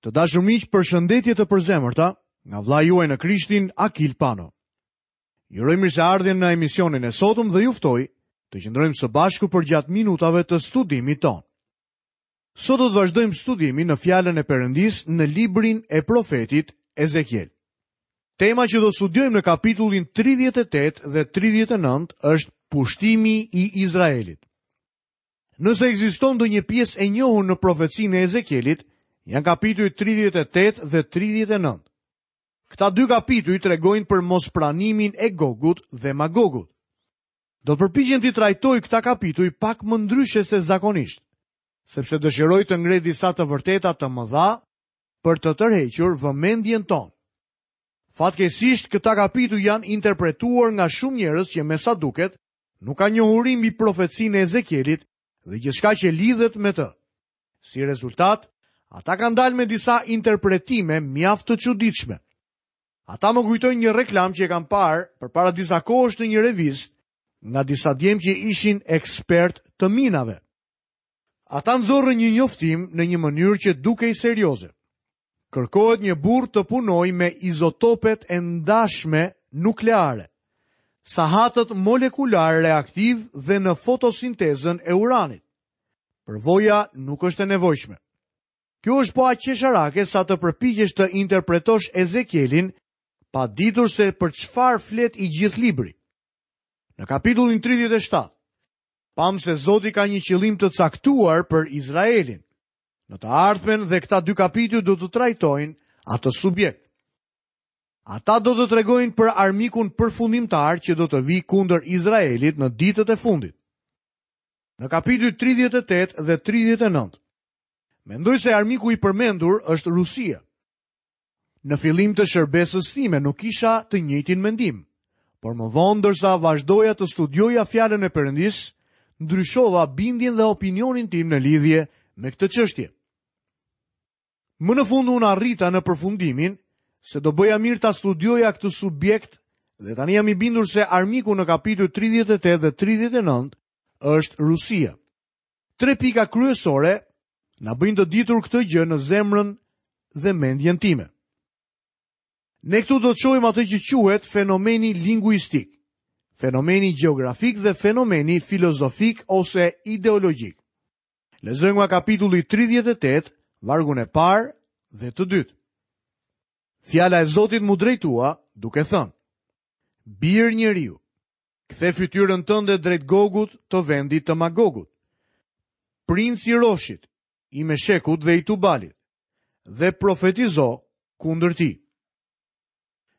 Të dashur miq, përshëndetje të përzemërta nga vëllai juaj në Krishtin Akil Pano. Ju uroj mirëseardhjen në emisionin e sotëm dhe ju ftoj të qëndrojmë së bashku përgjatë minutave të studimit tonë. Sot do të vazhdojmë studimin në fjalën e Perëndisë në librin e profetit Ezekiel. Tema që do të studiojmë në kapitullin 38 dhe 39 është pushtimi i Izraelit. Nëse ekziston ndonjë pjesë e njohur në profecinë e Ezekielit, janë kapitujt 38 dhe 39. Këta dy kapituj tregojnë për mospranimin e Gogut dhe Magogut. Do të përpiqem t'i trajtoj këta kapituj pak më ndryshe se zakonisht, sepse dëshiroj të ngre disa të vërteta të mëdha për të tërhequr vëmendjen tonë. Fatkeqësisht, këta kapituj janë interpretuar nga shumë njerëz që me sa duket nuk kanë njohuri mbi profecinë e Ezekielit dhe gjithçka që lidhet me të. Si rezultat, ata kanë dalë me disa interpretime mjaft të çuditshme. Ata më kujtojnë një reklamë që e kam parë përpara disa kohësh në një revistë nga disa djem që ishin ekspertë të minave. Ata nxorrën një njoftim në një mënyrë që dukej serioze. Kërkohet një burrë të punojë me izotopet e ndashme nukleare, sahatët molekularë reaktivë dhe në fotosintezën e uranit. Përvoja nuk është e nevojshme. Kjo është po aq qesharake sa të përpiqesh të interpretosh Ezekielin pa ditur se për çfarë flet i gjithë libri. Në kapitullin 37, pamë se Zoti ka një qëllim të caktuar për Izraelin. Në të ardhmen dhe këta dy kapituj do të trajtojnë atë subjekt. Ata do të tregojnë për armikun përfundimtar që do të vijë kundër Izraelit në ditët e fundit. Në kapitujt 38 dhe 39, mendoj se armiku i përmendur është Rusia. Në fillim të shërbesës sime nuk kisha të njëjtin mendim, por më vonë ndërsa vazhdoja të studioja fjalën e Perëndisë, ndryshova bindjen dhe opinionin tim në lidhje me këtë çështje. Më në fund unë arrita në përfundimin se do bëja mirë ta studioja këtë subjekt dhe tani jam i bindur se armiku në kapitujt 38 dhe 39 është Rusia. Tre pika kryesore na bëjnë të ditur këtë gjë në zemrën dhe mendjen time. Ne këtu do të shohim atë që quhet fenomeni linguistik, fenomeni gjeografik dhe fenomeni filozofik ose ideologjik. Lexojmë nga kapitulli 38, vargun e parë dhe të dytë. Fjala e Zotit m'u drejtua duke thënë: Bir njeriu, Kthe fytyrën tënde drejt Gogut të vendit të Magogut. Princ i Roshit, i Meshekut dhe i Tubalit, dhe profetizo kundër tij.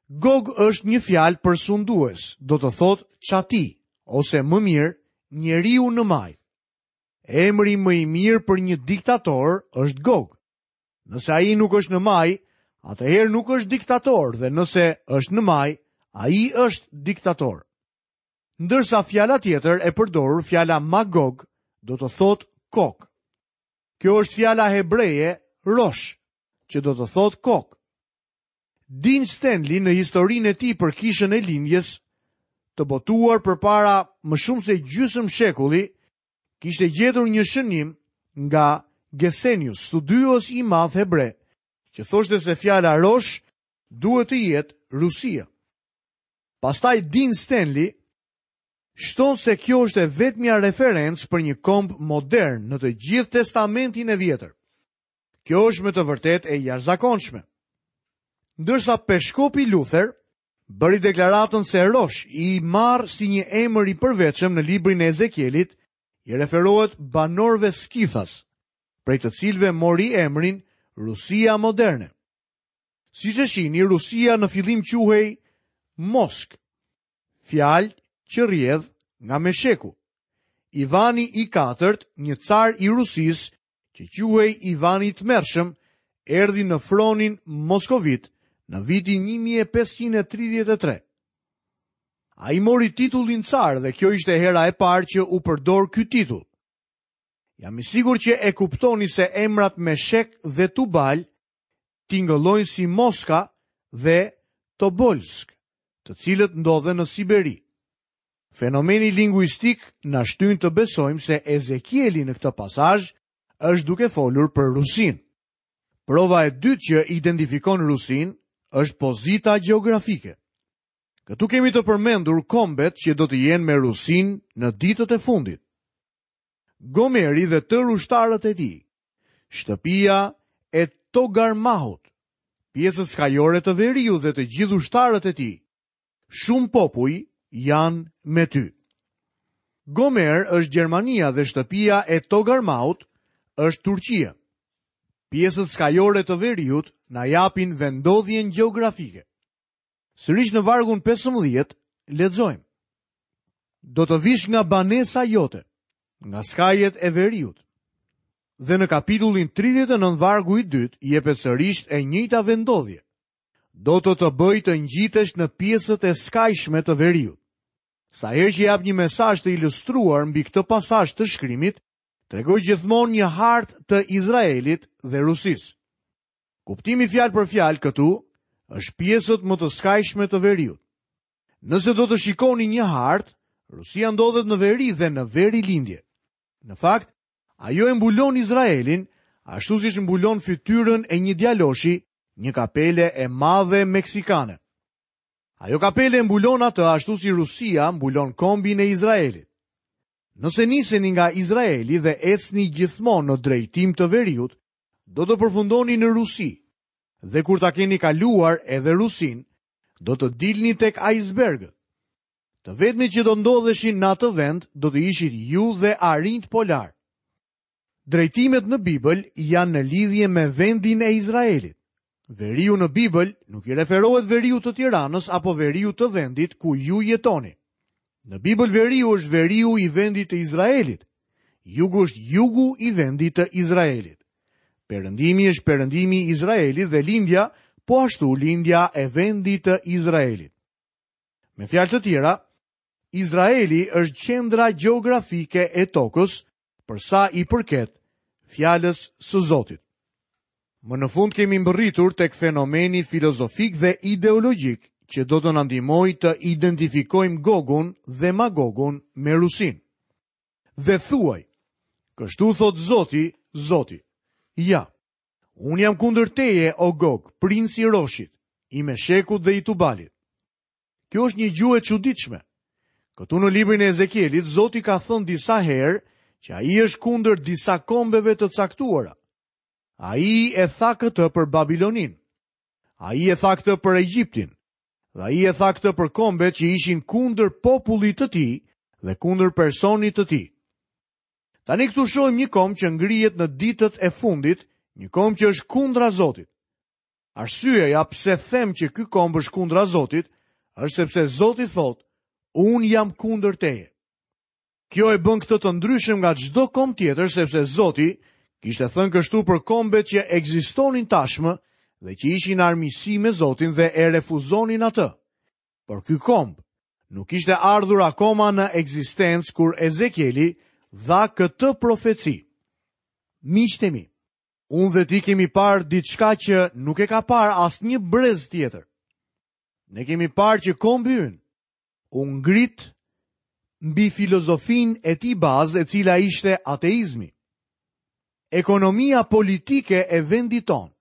Gog është një fjalë për sundues, do të thotë çati, ose më mirë, njeriu në majë. Emri më i mirë për një diktator është Gog. Nëse ai nuk është në majë, atëherë nuk është diktator dhe nëse është në majë, ai është diktator. Ndërsa fjala tjetër e përdorur, fjala Magog, do të thotë kokë. Kjo është fjala hebreje rosh, që do të thotë kokë. Dean Stanley në historinë e tij për kishën e lindjes, të botuar përpara më shumë se gjysmë shekulli, kishte gjetur një shënim nga Gesenius, studiues i madh hebre, që thoshte se fjala rosh duhet të jetë Rusia. Pastaj Dean Stanley shton se kjo është e vetmja referencë për një komb modern në të gjithë Testamentin e Vjetër. Kjo është me të vërtetë e jashtëzakonshme. Ndërsa peshkopi Luther bëri deklaratën se Rosh, i marrë si një emër i përveçëm në librin e Ezekielit, i referohet banorëve skithas, prej të cilëve mori emrin Rusia moderne. Siç e shihni, Rusia në fillim quhej Moskë, fjalë që rrjedh nga Mesheku. Ivani i katërt, një car i Rusisë, që quhej Ivani i Tmerrshëm, erdhi në fronin moskovit në vitin 1533. Ai mori titullin car dhe kjo ishte hera e parë që u përdor ky titull. Jam i sigurt që e kuptoni se emrat Meshek dhe Tubal tingëllojnë si Moska dhe Tobolsk, të cilët ndodhen në Siberi. Fenomeni linguistik na shtyn të besojmë se Ezekieli në këtë pasazh është duke folur për Rusinë. Prova e dytë që identifikon Rusinë është pozita gjeografike. Këtu kemi të përmendur kombet që do të jenë me Rusinë në ditët e fundit. Gomeri dhe tërë ushtarët e tij, shtëpia e Togarmahut, pjesët skajore të veriut dhe të gjithë ushtarët e tij, shumë popuj janë me ty. Gomer është Gjermania dhe shtëpia e Togarmahut është Turqia. Pjesët skajore të veriut na japin vendndodhjen gjeografike. Sërish në vargun 15 lexojmë. Do të vish nga banesa jote, nga skajet e veriut. Dhe në kapitullin 39 vargu i dytë jepet sërish e njëjta vendndodhje. Do të të bëj të ngjitesh në pjesët e skajshme të veriut. Sa herë që jap një mesazh të ilustruar mbi këtë pasazh të shkrimit, tregoj gjithmonë një hartë të Izraelit dhe Rusisë. Kuptimi fjalë për fjalë këtu është pjesët më të skajshme të veriut. Nëse do të shikoni një hartë, Rusia ndodhet në veri dhe në verilindje. Në fakt, ajo e mbulon Izraelin, ashtu siç mbulon fytyrën e një djaloshi, një kapele e madhe meksikane. Ajo kapele e mbulon atë ashtu si Rusia mbulon kombin e Izraelit. Nëse niseni nga Izraeli dhe ecni gjithmonë në drejtim të veriut, do të përfundoni në Rusi. Dhe kur ta keni kaluar edhe Rusinë, do të dilni tek ajsbergët. Të vetmit që do ndodheshin në atë vend do të ishit ju dhe arinjtë polarë. Drejtimet në Bibël janë në lidhje me vendin e Izraelit. Veriu në Bibël nuk i referohet veriut të Tiranës apo veriut të vendit ku ju jetoni. Në Bibël veriu është veriu i vendit të Izraelit. Jugu është jugu i vendit të Izraelit. Perëndimi është perëndimi i Izraelit dhe lindja po ashtu lindja e vendit të Izraelit. Me fjalë të tjera, Izraeli është qendra gjeografike e tokës për sa i përket fjalës së Zotit. Më në fund kemi mbërritur tek fenomeni filozofik dhe ideologjik që do të na ndihmojë të identifikojmë Gogun dhe Magogun me Rusinë. Dhe thuaj, kështu thotë Zoti, Zoti, ja, unë jam kundër teje, o Gog, princ i Roshit, i Meshekut dhe i Tubalit. Kjo është një gjuhë e çuditshme. Këtu në librin e Ezekielit, Zoti ka thënë disa herë që ai është kundër disa kombeve të caktuara. Ai e tha këtë për Babiloninë. Ai e tha këtë për Egjiptin. Dhe ai e tha këtë për kombet që ishin kundër popullit të tij dhe kundër personit të tij. Tani këtu shohim një komb që ngrihet në ditët e fundit, një komb që është kundra Zotit. Arsyeja pse them që ky komb është kundra Zotit, është sepse Zoti thotë, unë jam kundër teje. Kjo e bën këtë të ndryshëm nga çdo komb tjetër sepse Zoti kishte thënë kështu për kombet që ekzistonin tashmë dhe që ishin në armiqësi me Zotin dhe e refuzonin atë. Por ky komb nuk kishte ardhur akoma në ekzistencë kur Ezekieli dha këtë profeci. Miqtë e mi, Unë dhe ti kemi parë diçka që nuk e ka parë asnjë brez tjetër. Ne kemi parë që kombi ynë u ngrit mbi filozofinë e tij bazë e cila ishte ateizmi. Ekonomia politike e vendit tonë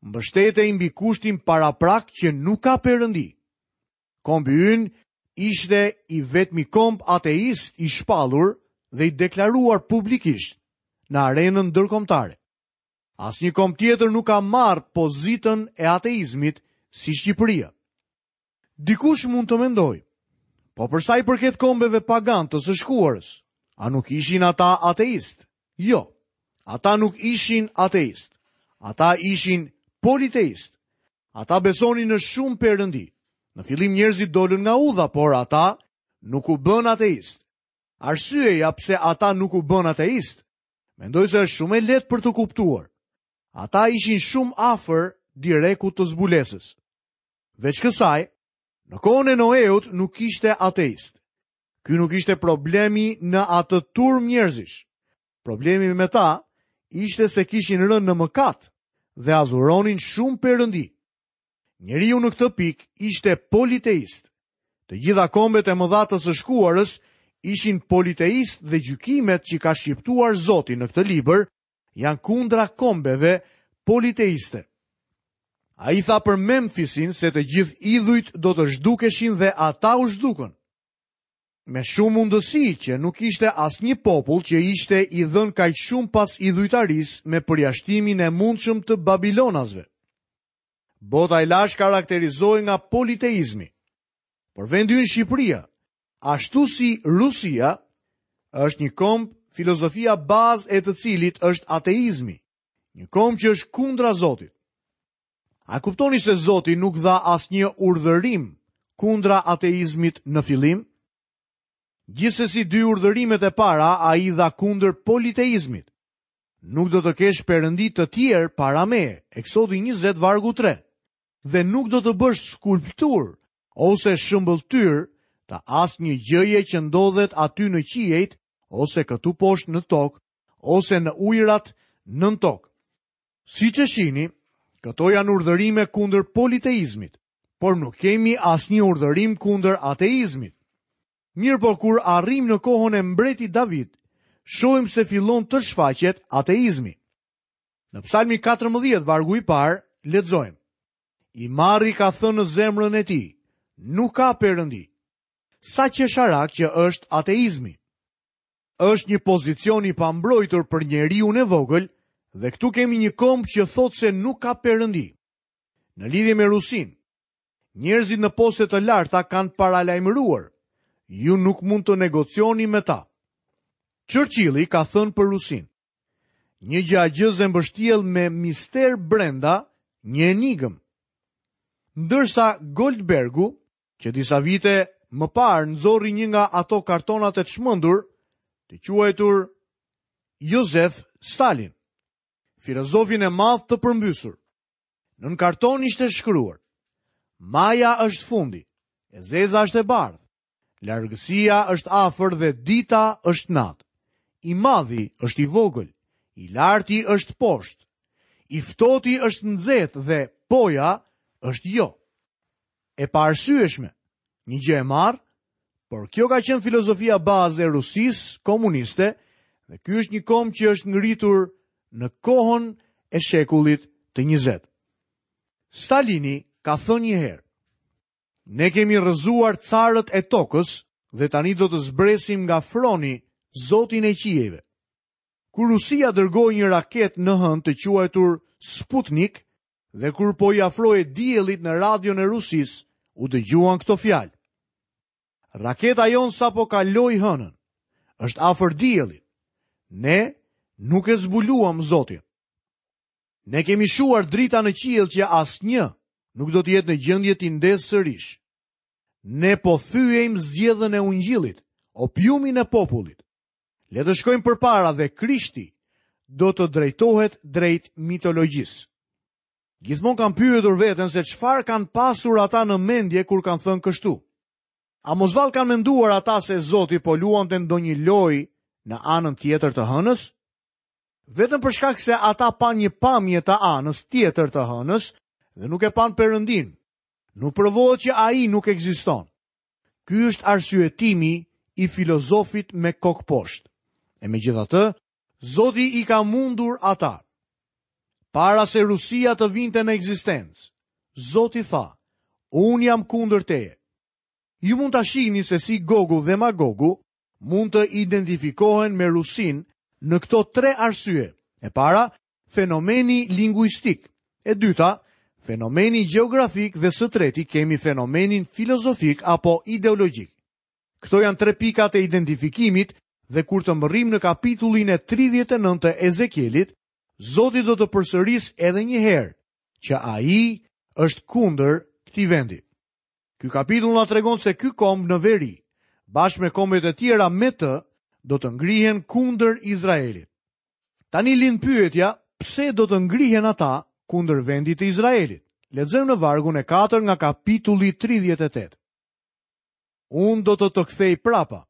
mbështetej mbi kushtin paraprak që nuk ka perëndi. Kombi ynë ishte i vetmi komb ateist i shpallur dhe i deklaruar publikisht në arenën ndërkombëtare. Asnjë komb tjetër nuk ka marrë pozitën e ateizmit si Shqipëria. Dikush mund të mendojë, po për sa i përket kombeve paganë të së shkuarës, a nuk ishin ata ateistë? Jo, ata nuk ishin ateistë. Ata ishin politeistë. Ata besonin në shumë perëndi. Në fillim njerëzit dolën nga udha, por ata nuk u bënë ateistë. Arsyeja pse ata nuk u bënë ateistë, mendoj se është shumë e lehtë për t'u kuptuar. Ata ishin shumë afër direkut të zbulesës. Veç kësaj, në kohën e Noeut nuk kishte ateistë. Ky nuk ishte problemi në atë turmë njerëzish. Problemi me ta ishte se kishin rënë në mëkat dhe adhuronin shumë perëndi. Njeriu në këtë pikë ishte politeist. Të gjitha kombet e mëdha të së shkuarës ishin politeistë dhe gjykimet që ka shqiptuar Zoti në këtë libër janë kundra kombeve politeiste. Ai tha për Memfisin se të gjithë idhujt do të zhdukeshin dhe ata u zhdukën. Me shumë mundësi që nuk ishte asnjë popull që ishte i dhënë kaq shumë pas idhujtarisë me përjashtimin e mundshëm të babilonasve. Bota e lashtë karakterizohej nga politeizmi. Por vendi ynë Shqipëria, ashtu si Rusia, është një komb filozofia bazë e të cilit është ateizmi, një komb që është kundra Zotit. A kuptoni se Zoti nuk dha asnjë urdhërim kundra ateizmit në fillim? Gjithsesi dy urdhërimet e para ai dha kundër politeizmit. Nuk do të kesh perëndi të tjerë para meje, Eksodi 20 vargu 3. Dhe nuk do të bësh skulpturë ose shëmbëlltyrë të asnjë gjëje që ndodhet aty në qiejt ose këtu poshtë në tokë ose në ujërat nën tokë. Siç e shihni, këto janë urdhërime kundër politeizmit, por nuk kemi asnjë urdhërim kundër ateizmit. Mirëpo kur arrijmë në kohën e mbretit David, shohim se fillon të shfaqet ateizmi. Në Psalmi 14, vargu i parë, lexojmë. I marri ka thënë në zemrën e tij, nuk ka perëndi. Sa qesharak që është ateizmi. Është një pozicion i pambrojtur për njeriun e vogël dhe këtu kemi një komb që thotë se nuk ka perëndi. Në lidhje me Rusinë, njerëzit në poste të larta kanë paralajmëruar, ju nuk mund të negocioni me ta. Churchilli ka thënë për Rusinë, një gjë gjëzë e mbështjellë me mister brenda një enigmë. Ndërsa Goldbergu që disa vite më parë nxori një nga ato kartonat e çmendur të quajtur Josef Stalin, filozofin e madh të përmbysur. Nën karton ishte shkruar: Maja është fundi, e zeza është e bardhë, largësia është afër dhe dita është natë. I madhi është i vogël, i larti është poshtë, i ftohti është nxehtë dhe poja është jo. E paarsyeshme, një gjë e marrë, por kjo ka qenë filozofia bazë e Rusisë komuniste dhe ky është një komb që është ngritur në kohën e shekullit të 20. Stalini ka thënë një herë, ne kemi rrëzuar carët e tokës dhe tani do të zbresim nga froni zotin e qiejve. Kur Rusia dërgoi një raketë në hënë të quajtur Sputnik, Dhe kur po i afrohej diellit në radion e Rusisë, u dëgjuan këto fjalë. Raketa jonë sapo kaloi hënën. Është afër diellit. Ne nuk e zbuluam Zotin. Ne kemi shuar drita në qiell që asnjë nuk do të jetë në gjendje t'i ndezë sërish. Ne po thyejmë zgjedhën e ungjillit, opiumin e popullit. Le të shkojmë përpara dhe Krishti do të drejtohet drejt mitologjisë. Gjithmonë kam pyetur veten se çfarë kanë pasur ata në mendje kur kanë thënë kështu. A mos vallë kanë menduar ata se Zoti po luante ndonjë lojë në anën tjetër të hënës? Vetëm për shkak se ata panë një pamje të anës tjetër të hënës dhe nuk e panë Perëndinë. Nuk provohet që ai nuk ekziston. Ky është arsyetimi i filozofit me kokë poshtë. E megjithatë, Zoti i ka mundur ata. Para se Rusia të vinte në ekzistencë, Zoti tha, unë jam kundër teje. Ju mund ta shihni se si Gogu dhe Magogu mund të identifikohen me Rusinë në këto tre arsye. E para, fenomeni linguistik. E dyta, fenomeni gjeografik dhe së treti kemi fenomenin filozofik apo ideologjik. Këto janë tre pikat e identifikimit dhe kur të mbërrijmë në kapitullin e 39 të Ezekielit, Zoti do të përsërisë edhe një herë që ai është kundër këtij vendi. Ky kapitull na tregon se ky komb në veri, bashkë me kombet e tjera me të, do të ngrihen kundër Izraelit. Tani lind pyetja, pse do të ngrihen ata kundër vendit të Izraelit? Lexojmë në vargun e 4 nga kapitulli 38. Unë do të të kthej prapa.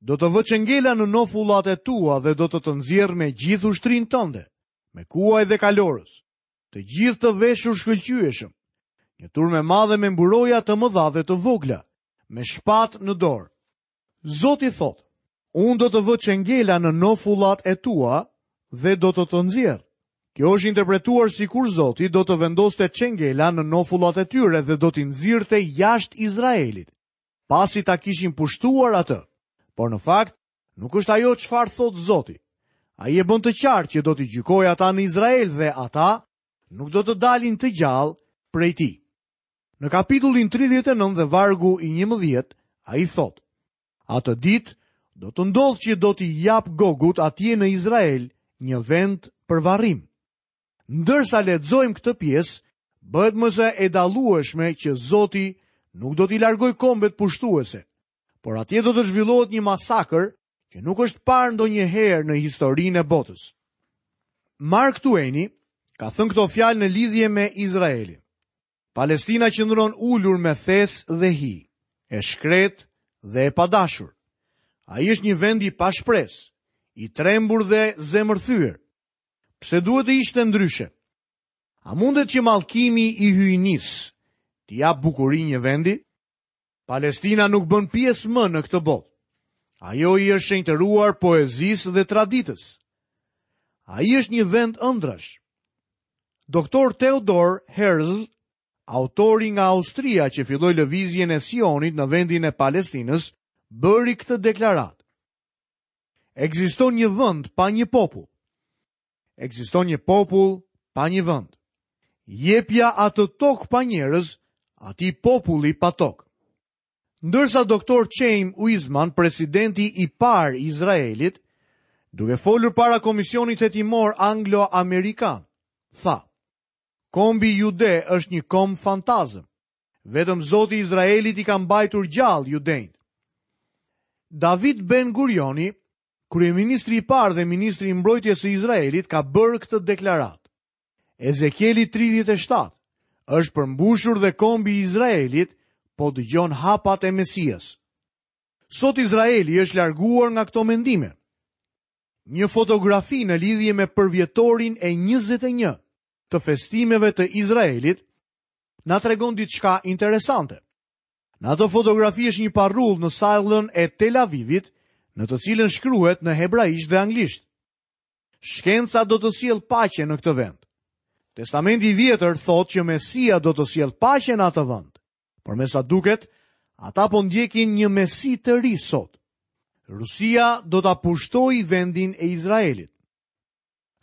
Do të vë çengela në nofullat e tua dhe do të të nxjerr me gjithë ushtrinë tënde, me kuaj dhe kalorës, të gjithë të veshur shkëlqyeshëm, një turmë e madhe me mburoja të mëdha dhe të vogla, me shpatë në dorë. Zoti thotë, unë do të vë çengela në nofullat e tua dhe do të të nxjerr. Kjo është interpretuar sikur Zoti do të vendoste çengela në nofullat e tyre dhe do t'i nxirrte jashtë Izraelit, pasi ta kishin pushtuar atë. Por në fakt, nuk është ajo çfarë thotë Zoti. Ai e bën të qartë që do t'i gjykojë ata në Izrael dhe ata nuk do të dalin të gjallë prej tij. Në kapitullin 39 dhe vargu i 11, ai thotë: Atë ditë do të ndodhë që do t'i jap Gogut atje në Izrael një vend për varrim. Ndërsa lexojmë këtë pjesë, bëhet më se e dallueshme që Zoti nuk do t'i largojë kombet pushtuese, por atje do të zhvillohet një masakër që nuk është parë ndonjëherë në historinë e botës. Mark Twaini ka thënë këto fjalë në lidhje me Izraelin. Palestina qëndron ulur me thes dhe hi, e shkretë dhe e padashur. Ai është një vend i pashpresë, i trembur dhe zemërthyer. Pse duhet të ishte ndryshe? A mundet që mallkimi i hyjnisë t'i japë bukuri një vendi? Palestina nuk bën pjesë më në këtë botë. Ajo i është shenjtëruar poezisë dhe traditës. Ai është një vend ëndrrash. Doktor Theodor Herzl, autori nga Austria që filloi lëvizjen e Sionit në vendin e Palestinës, bëri këtë deklaratë. Ekziston një vend pa një popull. Ekziston një popull pa një vend. Jepja atë tokë pa njerëz, atij populli pa tokë. Ndërsa doktor Chaim Weizmann, presidenti i parë i Izraelit, duke folur para komisionit hetimor anglo-amerikan, tha: Kombi jude është një komb fantazëm. Vetëm Zoti i Izraelit i ka mbajtur gjallë judenjtë. David Ben Gurioni, kryeministri i parë dhe ministri i mbrojtjes së Izraelit, ka bërë këtë deklaratë. Ezekieli 37 është përmbushur dhe kombi i Izraelit po dëgjon hapat e Mesias. Sot Izraeli është larguar nga këto mendime. Një fotografi në lidhje me përvjetorin e 21 të festimeve të Izraelit na tregon diçka interesante. Në atë fotografi është një parullë në sallën e Tel Avivit, në të cilën shkruhet në hebraisht dhe anglisht. Shkenca do të sjellë paqe në këtë vend. Testamenti i Vjetër thotë që Mesia do të sjellë paqe në atë vend. Por me sa duket, ata po ndjekin një Mesi të ri sot. Rusia do ta pushtojë vendin e Izraelit.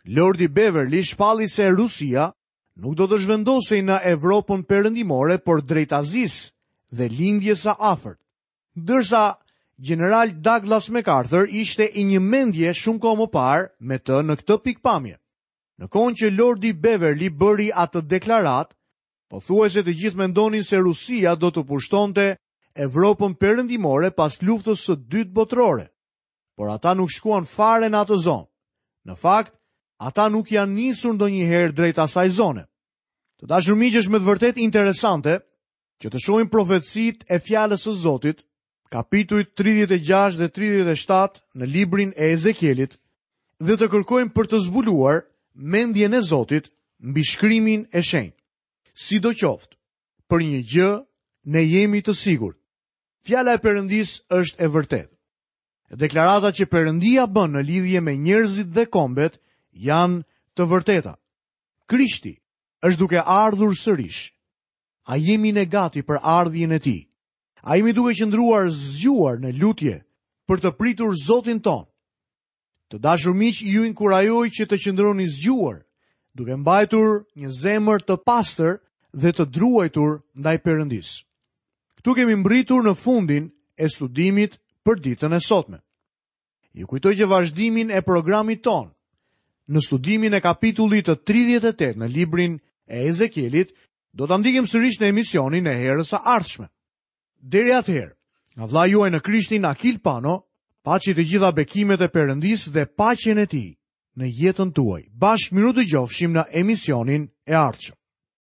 Lordi Beverly shpalli se Rusia nuk do të zhvendosej në Evropën Perëndimore, por drejt Azisë dhe Lindjes së Afërt. Ndërsa gjeneral Douglas MacArthur ishte i një mendje shumë kohë më parë me të në këtë pikëpamje. Në kohën që Lordi Beverly bëri atë deklaratë, pothuajse të gjithë mendonin se Rusia do të pushtonte Evropën Perëndimore pas luftës së dytë botërore. Por ata nuk shkuan fare në atë zonë. Në fakt, ata nuk janë nisur ndonjëherë drejt asaj zone. Të dashur miq, është me të vërtetë interesante që të shohim profecitë e fjalës së Zotit, kapitujt 36 dhe 37 në librin e Ezekielit, dhe të kërkojmë për të zbuluar mendjen e Zotit mbi shkrimin e shenjtë. Sidoqoftë, për një gjë ne jemi të sigurt. Fjala e Perëndisë është e vërtetë. Deklaratat që Perëndia bën në lidhje me njerëzit dhe kombet janë të vërteta. Krishti është duke ardhur sërish. A jemi ne gati për ardhjen e tij? A jemi duke qëndruar zgjuar në lutje për të pritur Zotin tonë? Të dashur miq, ju inkurajoj që të qëndroni zgjuar, duke mbajtur një zemër të pastër dhe të druajtur ndaj Perëndisë. Këtu kemi mbërritur në fundin e studimit për ditën e sotme. Ju kujtoj që vazhdimin e programit tonë në studimin e kapitullit të 38 në librin e Ezekielit do ta ndjekim sërish në emisionin e herës së ardhshme. Deri atëherë, nga vëllai juaj në Krishtin Akil Pano, paçi të gjitha bekimet e Perëndisë dhe paqen e tij në jetën tuaj. Bashkë mirudëgjofshim në emisionin e ardhshëm.